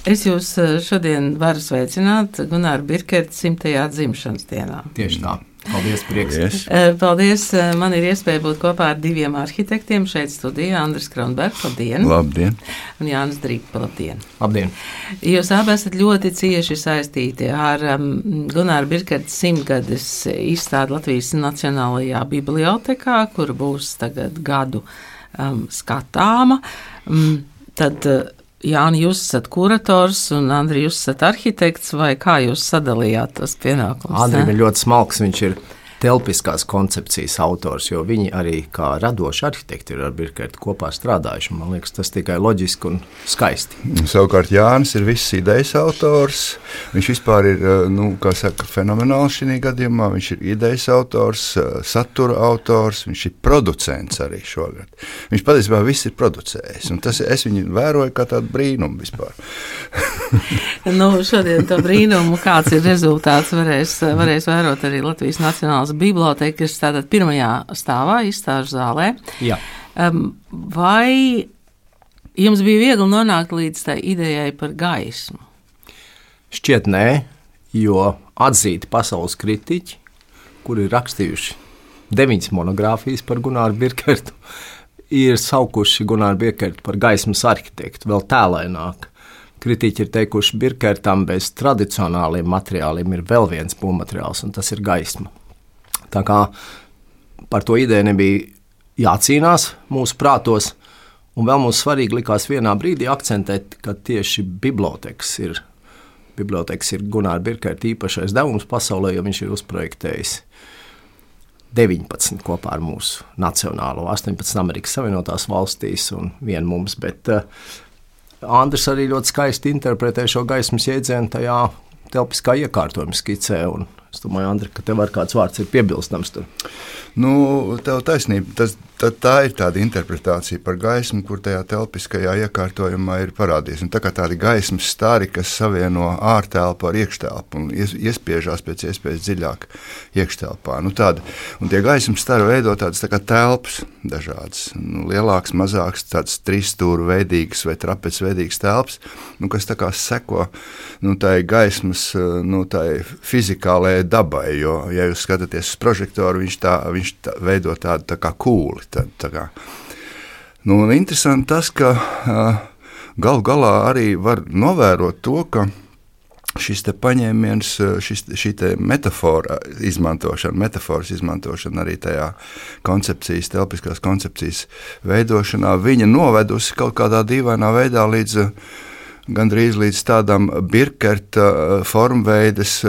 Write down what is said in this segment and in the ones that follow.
Es jūs šodien varu sveicināt Gunāra Birkerta 100. dzimšanas dienā. Tieši tā. Paldies, prieks. Paldies. Man ir iespēja būt kopā ar diviem arhitektiem šeit studijā. Andris Kronbergs, labdien. Labdien. Un Jānis Drīpa, labdien. Labdien. Jūs abi esat ļoti cieši saistīti ar Gunāra Birkerta 100-gades izstādi Latvijas Nacionālajā bibliotekā, kur būs tagad gadu skatāma. Tad Jāni, jūs esat kurators un Andri, jūs esat arhitekts, vai kā jūs sadalījāt tos pienākumus? Andrim ir ļoti smalks, viņš ir telpiskās koncepcijas autors, jo viņi arī kā radoši arhitekti ir ar Birkertu kopā strādājuši. Man liekas, tas tikai loģiski un skaisti. Savukārt Jānis ir viss idejas autors. Viņš vispār ir, kā saka, fenomenāls šī gadījumā. Viņš ir idejas autors, satura autors, viņš ir producents arī šogad. Viņš patiesībā viss ir producējis, un es viņu vēroju kā tādu brīnumu vispār. Šodien to brīnumu, kāds ir rezultāts, varēs vērot arī Latvijas Nacionālās biblioteka, kas tātad pirmajā stāvā, izstāžu zālē. Jā. Vai jums bija viegli nonākt līdz tai idejai par gaismu? Šķiet nē, jo atzīti pasaules kritiķi, kuri ir rakstījuši 9 monogrāfijas par Gunāru Birkertu, ir saukuši Gunāru Birkertu par gaismas arhitektu, vēl tēlaināk. Kritiķi ir teikuši, Birkertam bez tradicionāliem materiāliem ir vēl viens būvmateriāls, un tas ir gaisma. Tā kā par to ideju nebija jācīnās mūsu prātos, un vēl mums svarīgi likās vienā brīdī akcentēt, ka tieši bibliotekas ir Gunāra Birkerta īpašais devums pasaulē, jo viņš ir uzprojektējis 19 kopā ar mūsu nacionālo, 18 Amerikas Savienotās valstīs un vienu mums, bet Andris arī ļoti skaisti interpretē šo gaismas jēdzienu tajā telpiskā iekārtojuma skicē, un es domāju, Andri, ka tev ar kāds vārds ir piebilstams tur. Tev taisnība. Tā ir tāda interpretācija par gaismu, kur tajā telpiskajā iekārtojumā ir parādījies. Un tā kā tādi gaismas stari, kas savieno ārtelpu ar iekštelpu un iespiežās pēc iespējas dziļāk iekštelpā. Un tie gaismas stari veido tādas tā kā telpas dažādas. Lielāks, mazāks, tāds trīsstūru veidīgs vai trapec veidīgs telpas, kas tā kā seko tai gaismas tai fizikālajai dabai. Jo, ja jūs skatāties uz prožektoru, viņš veido tādu tā kā kūli. Interesanti tas, ka galu galā arī var novērot to, ka šis te paņēmiens, šī te metaforas izmantošana arī tajā koncepcijas, telpiskās koncepcijas veidošanā, viņa novedusi kaut kādā dīvainā veidā gandrīz līdz tādam Birkerta formveides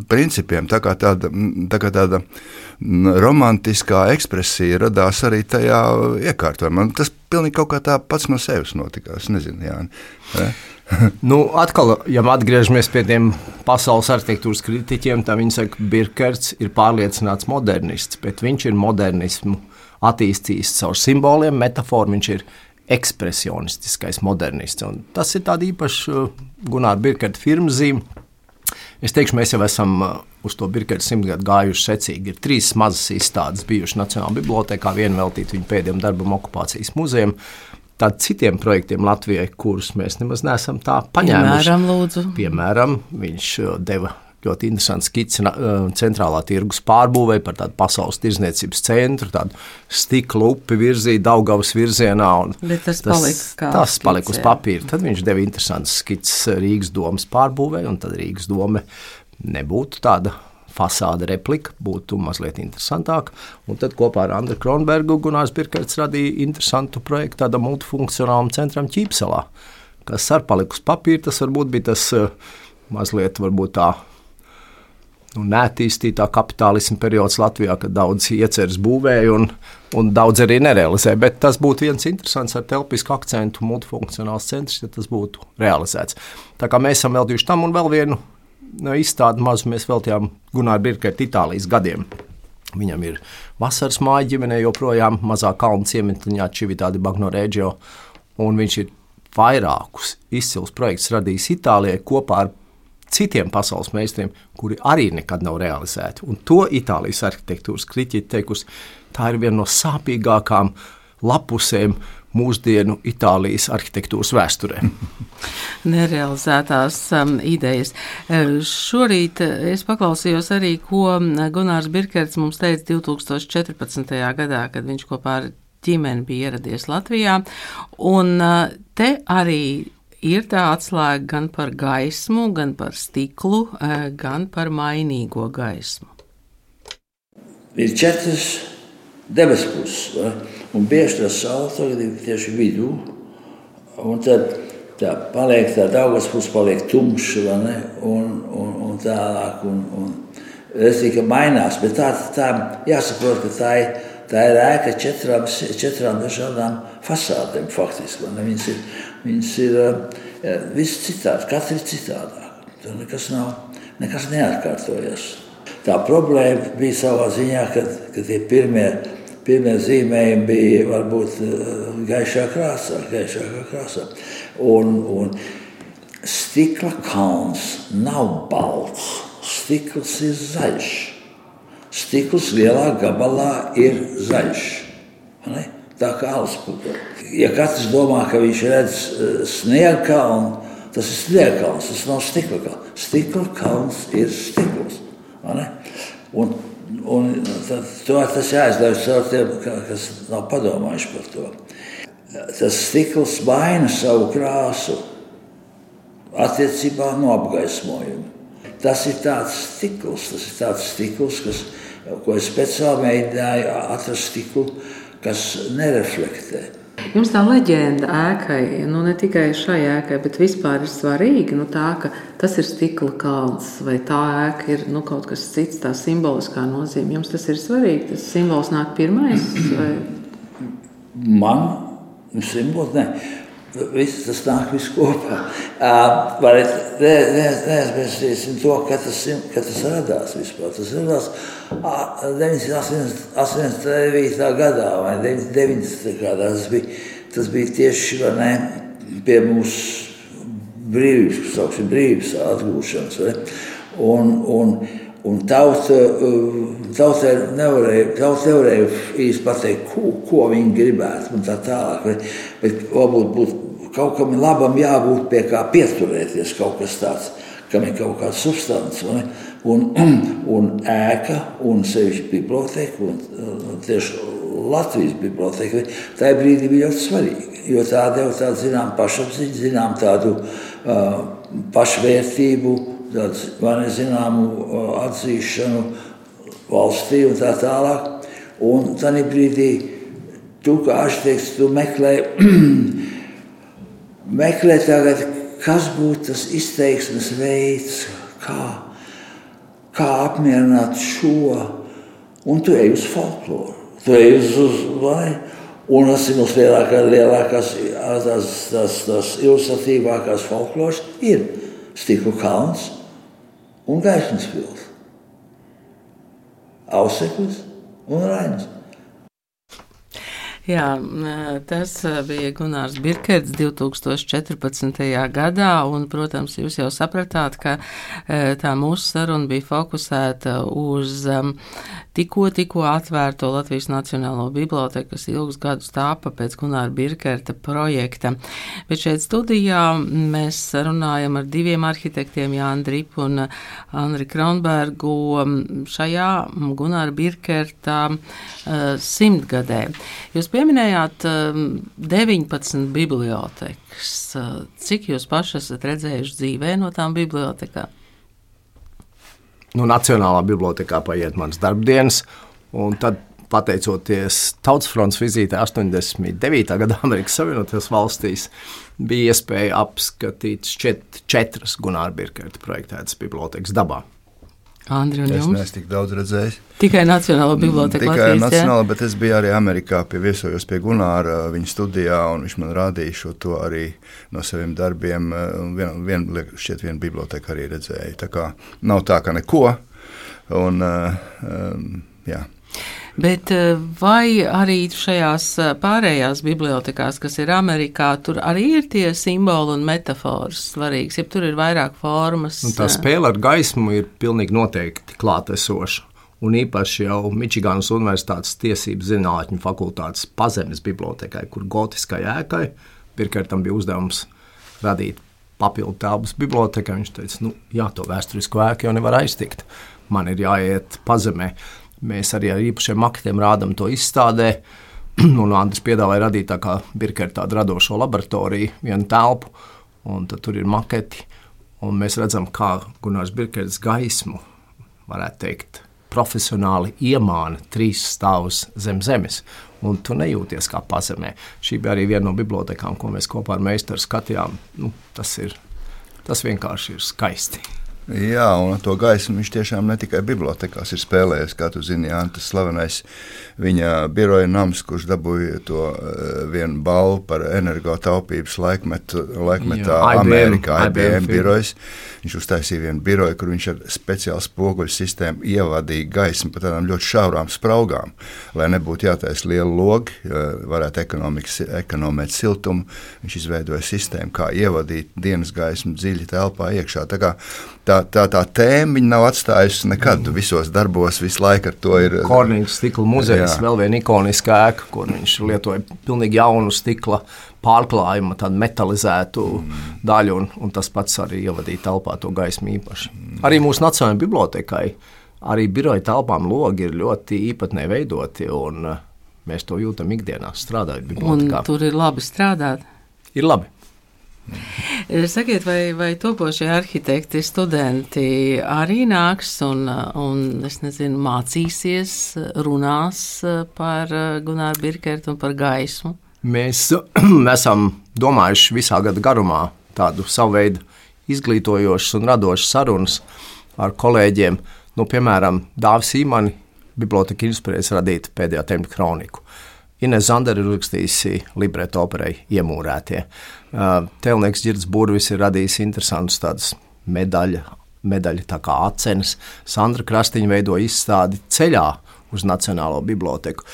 principiem, tā kā tāda romantiskā ekspresija radās arī tajā iekārtojumā. Tas pilnīgi kaut kā tā pats no sevis notikās, nezinu, Jāni. Atkal, ja atgriežamies pie tiem pasaules arhitektūras kritiķiem, tad viņi saka, Birkerts ir pārliecināts modernists, bet viņš ir modernismu attīstījis caur simboliem, metaforu, viņš ir ekspresionistiskais modernists. Un tas ir tāda īpaša Gunāra Birkerta firmas zīme. Es teikšu, mēs jau esam uz to Birkerta 100 gadu gājuši secīgi. Ir 3 mazas izstādes bijušas Nacionālajā bibliotekā, viena veltīta viņa pēdējiem darbam okupācijas muzejam. Tad citiem projektiem Latvijai, kurus mēs nemaz neesam tā paņēmuši. Piemēram, viņš deva ļoti interesanti skici centrālā tirgus pārbūvē par tādu pasaules tirdzniecības centru, tādu stikla upi virzīja Daugavas virzienā. Bet tas palika uz papīra. Tad viņš deva interesantas skicis Rīgas domas pārbūvē, un tad Rīgas doma nebūtu tāda fasāde replika, būtu mazliet interesantāka. Un tad kopā ar Andru Kronbergu Gunārs Birkerts radīja interesantu projektu tādam multifunkcionālam centram Ķīpselā, kas ar paliku uz papīra. Tas varbūt bija tas mazliet varbūt tā neattīstītā kapitālisma periods Latvijā, kad daudz ieceres būvēja un daudz arī nerealizēja. Bet tas būtu viens interesants ar telpisku akcentu multifunkcionāls centrs, ja tas būtu realizēts. Tā kā mēs esam veltījuši tam un vēl vienu izstādi mazu mēs veltījām Gunāra Birkerta Itālijas gadiem. Viņam ir vasaras māja ģimenē joprojām mazā kalnu ciemetliņā Cività di Bagno Reggio, un viņš ir vairākus izcils projektus radījis Itālijai kopā ar citiem pasaules meistariem, kuri arī nekad nav realizēti. Un to Itālijas arhitektūras kritiķi teikusi, tā ir viena no sāpīgākām lapusēm mūsdienu Itālijas arhitektūras vēsturē. Nerealizētās idejas. Šorīt es paklausījos arī, ko Gunārs Birkerts mums teica 2014. gadā, kad viņš kopā ar ģimeni bija ieradies Latvijā. Un te arī ir tā atslēga gan par gaismu, gan par stiklu, gan par mainīgo gaismu. Ir 4 debespuses, un bieži tā saule tagad ir tieši vidū, un tad tā paliek tā augstpuse paliek tumša, vai ne, un tālāk, un es tikai mainās, bet tā jāsaprot, ka tā ir ēka 4 dažādām fasādēm faktiski, vai ne, viņas ir viss citādi, katra ir citādāk, tur nekas neatkārtojas. Tā problēma bija savā ziņā, kad tie pirmie zīmējumi bija varbūt gaišākā krāsā. Un stikla kalns nav balts, stikls ir zaļš. Stikls lielā gabalā ir zaļš. Ne? Tā kā alspūga. Ja katrs domā, ka viņš redz sniega kalnu, tas ir sniega kalns, tas nav stikla kalns. Stikla kalns ir stikls. Un tas jāizlaiž caur tiem, kas nav padomājuši par to. Tas stikls maina savu krāsu attiecībā no apgaismojuma. Tas ir tāds stikls, ko es speciāli mēģināju atrast stiklu, kas nereflektē. Jums tā leģenda ēkai, ne tikai šai ēkai, bet vispār ir svarīga, tā, ka tas ir stikla kalns, vai tā ēka ir kaut kas cits, tā simboliskā nozīme. Jums tas ir svarīgi, tas simbols nāk pirmais? Vai? Man simbols, ne. Tas nāk viss kopā. Neaizmirsīsim to, ka tas radās vispār. Tas radās 989. gadā vai 90. gadā. Tas bija tieši pie mūsu brīvības atgūšanas. Un tauta nevarēja īsti pateikt, ko viņi gribētu un tā tālāk. Bet varbūt kaut kam labam jābūt pie kā pieturēties, kaut kas tāds, kam ir kaut kāds substants. Un ēka, un sevišķi biblioteka, un tieši Latvijas biblioteka, tajā brīdī bija ļoti svarīga, jo tā deva tādu zinām pašapziņu, zinām tādu pašvērtību, tādu zināmu atzīšanu valstī un tā tālāk. Un tādā brīdī tu, kā arhitekts, tu meklē tagad, kas būtu tas izteiksmes veids, kā apmierināt šo, un tu ej uz folkloru. Tu ej un tas ir mums lielākās, tās ilustratīvākās folkloras ir stikla kalns un gaismas pils, Auseklis un Rainis. Jā, tas bija Gunārs Birkerts 2014. gadā, un, protams, jūs jau sapratāt, ka tā mūsu saruna bija fokusēta uz tikko atvērto Latvijas Nacionālo biblioteku, kas ilgus gadus tāpa pēc Gunāra Birkerta projekta. Bet šeit studijā mēs runājam ar 2 arhitektiem, Jāni Dripu un Andri Kronbergu, šajā Gunāra Birkerta 100-gadē. Jūs pieminējāt 19 bibliotekas. Cik jūs paši esat redzējuši dzīvē no tām bibliotekām? Nacionālā bibliotekā paiet manas darbdienas, un tad, pateicoties Tautas frontes vizītē 89. gadā Amerikas Savienotajās valstīs, bija iespēja apskatīt 4 Gunāra Birkerta projektētas bibliotekas dabā. Andri, un jums? Es neesmu tik daudz redzējis. Tikai Nacionālo biblioteka Latvijas, Nacionāla, bet es biju arī Amerikā, viesojos pie Gunāra viņa studijā, un viņš man rādīja šo to arī no saviem darbiem. Viena biblioteka arī redzēja. Tā kā nav tā, ka neko. Un, jā. Bet vai arī šajās pārējās bibliotekās, kas ir Amerikā, tur arī ir tie simboli un metafors svarīgs, ja tur ir vairāk formas? Tā spēle ar gaismu ir pilnīgi noteikti klātesoša. un īpaši jau Mičiganas Universitātes tiesību zinātņu fakultātes pazemes bibliotekai, kur gotiskai ēkai Birkertam bija uzdevums radīt papildu telpas bibliotekai. Viņš teica, to vēsturisko ēku jau nevar aiztikt. Man ir jāiet pazemē. Mēs arī ar īpašiem maketiem rādam to izstādē. Un Andris piedāvāja radīt tā kā Birkerta tādu radošo laboratoriju, vienu telpu, un tad tur ir maketi. Un mēs redzam, kā Gunārs Birkerts gaismu, varētu teikt, profesionāli iemāna 3 stāvus zem zemes, un tu nejūties kā pazemē. Šī bija arī viena no bibliotekām, ko mēs kopā ar meistaru skatījām. Tas vienkārši ir skaisti. Jā, un to gaismu viņš tiešām ne tikai bibliotekās ir spēlējis, kā tu zini, tas slavenais viņa biroja nams, kurš dabūja to vienu balvu par energotaupības laikmetā Amerikā, IBM birojas. Viņš uztaisīja vienu biroju, kur viņš ar speciālu spoguļu sistēmu ievadīja gaismu pa tādām ļoti šaurām spraugām, lai nebūtu jātaisa liela logi, varētu ekonomēt siltumu. Viņš izveidoja sistēmu, kā ievadīt dienas gaismu dziļi telpā iekšā. Tā tēma viņa nav atstājusi nekad. Visos darbos visu laiku ar to ir. Kornīgas stikla muzejs, vēl viena ikoniska ēka, kur viņš lietoja pilnīgi jaunu stikla pārklājumu, tādu metalizētu daļu, un tas pats arī ievadīja telpā to gaismu īpaši. Arī mūsu Nacionālajai bibliotekai, arī biroja telpām logi ir ļoti īpatnē veidoti, un mēs to jūtam ikdienā strādājot bibliotekā. Un tur ir labi strādāt? Ir labi. Sakiet, vai topošie arhitekti, studenti arī nāks un es nezinu, mācīsies, runās par Gunāru Birkertu un par gaismu? Mēs esam domājuši visā gada garumā tādu savu veidu izglītojošas un radošas sarunas ar kolēģiem. Piemēram, Dāvis Īmani biblioteka inspirējas radīt Pēdējā tempļa kroniku. Ines Zandera ir uzrakstījusi libreto operai Iemūrētie. Tēlnieks Ģirds Burvis ir radījis interesantus tādus medaļu tā kā acenes. Sandra Krastiņa veido izstādi Ceļā uz Nacionālo biblioteku.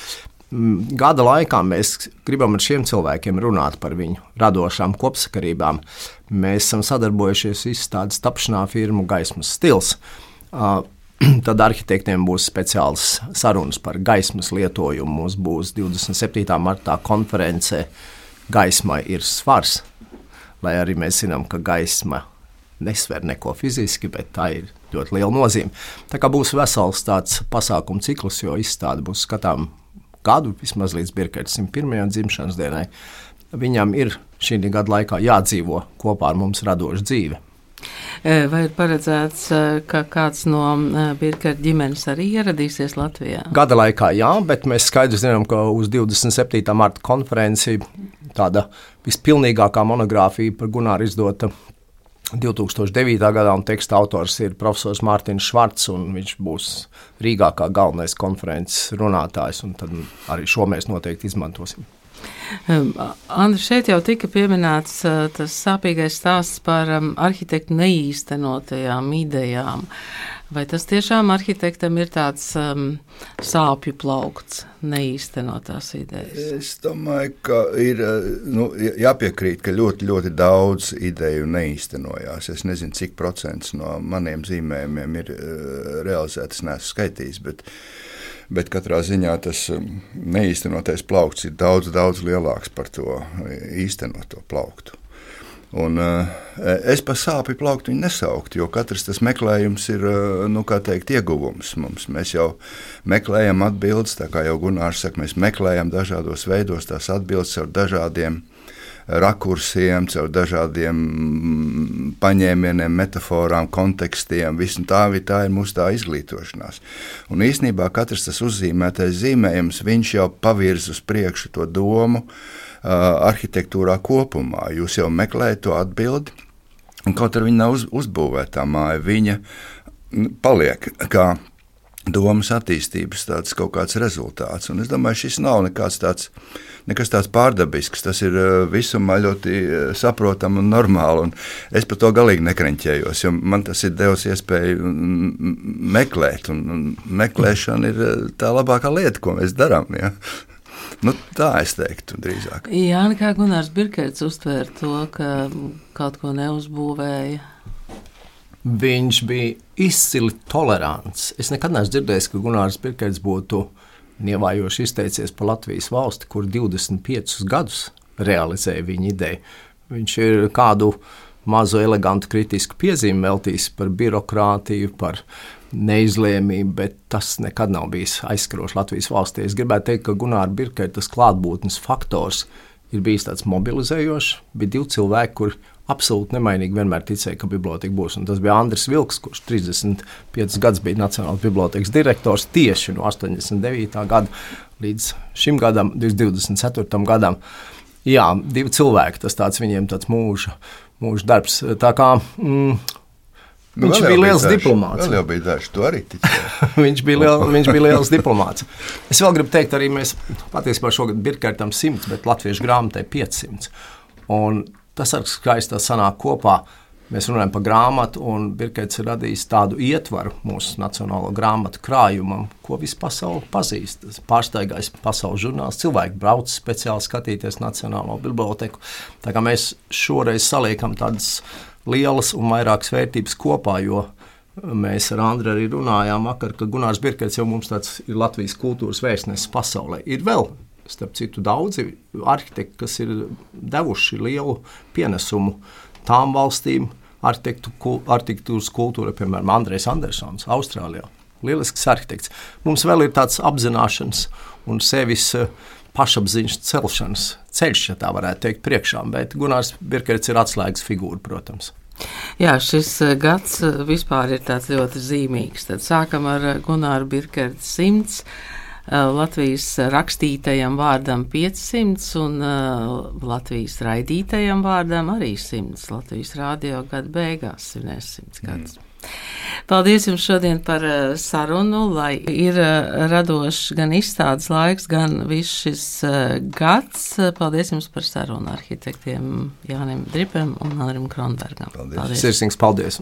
Gada laikā mēs gribam ar šiem cilvēkiem runāt par viņu radošām kopsakarībām. Mēs esam sadarbojušies izstādes tapšanā firmu Gaismas stils. Tad arhitektiem būs speciāls sarunas par gaismas lietojumu. Mums būs 27. martā konference Gaismai ir svars, lai arī mēs zinām, ka gaisma nesver neko fiziski, bet tā ir ļoti liela nozīme. Tā kā būs vesels tāds pasākumu cikls, jo izstāde būs skatām gadu, vismaz līdz Birkerta 101. dzimšanas dienai. Viņam ir šī gada laikā jādzīvo kopā ar mums radošu dzīvi. Vai ir paredzēts, ka kāds no Birkerta ģimenes arī ieradīsies Latvijā? Gada laikā jā, bet mēs skaidri zinām, ka uz 27. marta konferenci tāda vispilnīgākā monogrāfija par Gunāru izdota 2009. gadā, un teksta autors ir profesors Mārtiņš Švarts, un viņš būs Rīgā kā galvenais konferences runātājs, un tad arī šo mēs noteikti izmantosim. Andri, šeit jau tika pieminēts tas sāpīgais stāsts par arhitektu neīstenotajām idejām. Vai tas tiešām arhitektam ir tāds sāpju plaukts, neīstenotās idejas? Es domāju, ka ir jāpiekrīt, ka ļoti, ļoti daudz ideju neīstenojās. Es nezinu, cik procents no maniem zīmējumiem ir realizētas, neesmu skaitījis, bet katrā ziņā tas neīstenotais plaukts ir daudz, daudz lielāks par to īstenoto plauktu. Un es par sāpju plauktu viņu nesauktu, jo katrs tas meklējums ir, ieguvums mums. Mēs jau meklējam atbildes, tā kā jau Gunārs saka, mēs meklējam dažādos veidos tās atbildes ar dažādiem rakursiem, caur dažādiem paņēmieniem, metaforām, kontekstiem. Tā ir mūsu tā izglītošanās. Un īstenībā katrs tas uzzīmētais zīmējums, viņš jau pavirz uz priekšu to domu arhitektūrā kopumā. Jūs jau meklējat to atbildi, un kaut arī viņa nav uzbūvēta māja, viņa paliek kā domas attīstības tāds kaut kāds rezultāts. Un es domāju, šis nav nekas tāds pārdabisks, tas ir visumā ļoti saprotam un normāli, un es par to galīgi nekreņķējos, jo man tas ir devis iespēju meklēt, un meklēšana ir tā labākā lieta, ko mēs darām, ja? Tā es teiktu drīzāk. Jā, kā Gunārs Birkerts uztvēra to, ka kaut ko neuzbūvēja? Viņš bija izcili tolerants. Es nekad neesmu dzirdējis, ka Gunārs Birkerts būtu nievājoši izteicies par Latvijas valsti, kur 25 gadus realizēja viņa ideju. Viņš ir kādu mazu elegantu kritisku piezīmi veltījis par birokrātiju, par neizlēmību, bet tas nekad nav bijis aizskarošs Latvijas valstī. Es gribētu teikt, ka Gunāra Birkerta klaatbūtnes faktors ir bijis tāds mobilizējošs. Bija 2 cilvēki, kuri absolūti nemainīgi vienmēr ticēja, ka biblioteka būs. Un tas bija Andris Vilks, kurš 35 gadus bija Nacionālās bibliotekas direktors tieši no 89. gada līdz šim gadam, 2024. gadam. Jā, 2 cilvēki, tas tāds viņiem tāds mūža darbs. Tā kā viņš bija liels diplomāts. Vēl jau bija daži, tu arī ticēji. viņš bija liels diplomāts. Es vēl gribu teikt, arī mēs patiesībā šogad Birkertam 100, bet latviešu grāmatai 500. Un tas ar skaisti sanāk kopā. Mēs runājam par grāmatu, un Birkerts ir radījis tādu ietvaru mūsu nacionālo grāmatu krājumam, ko visu pasauli pazīst. Pārsteigais pasaules žurnāls, cilvēki brauc speciāli skatīties Nacionālo biblioteku. Tā kā mēs šoreiz saliekam tādas lielas un vairākas vērtības kopā, jo mēs ar Andru arī runājām vakar, ka Gunārs Birkerts jau mums tāds ir Latvijas kultūras vēstnesis pasaulē. Ir vēl, starp citu, daudzi arhitekti, kas ir devuši lielu pienesumu tām valstīm, arhitektūras kultūra, piemēram, Andrejs Andersons, Austrālijā. Lielisks arhitekts. Mums vēl ir tāds apzināšanas un sevis pašapziņas celšanas ceļš, ja tā varētu teikt, priekšā, bet Gunārs Birkerts ir atslēgas figūra, protams. Jā, šis gads vispār ir tāds ļoti zīmīgs. Tad sākam ar Gunāru Birkertu 100, Latvijas rakstītajam vārdam 500 un Latvijas raidītajam vārdam arī 100. Latvijas radio gada beigās svinēs 100 gadus. Paldies jums šodien par sarunu, lai ir radošs gan izstādes laiks, gan viss šis gads. Paldies jums par sarunu arhitektiem Jānim Dripem un Andrim Kronbergam. Sirsnīgs paldies!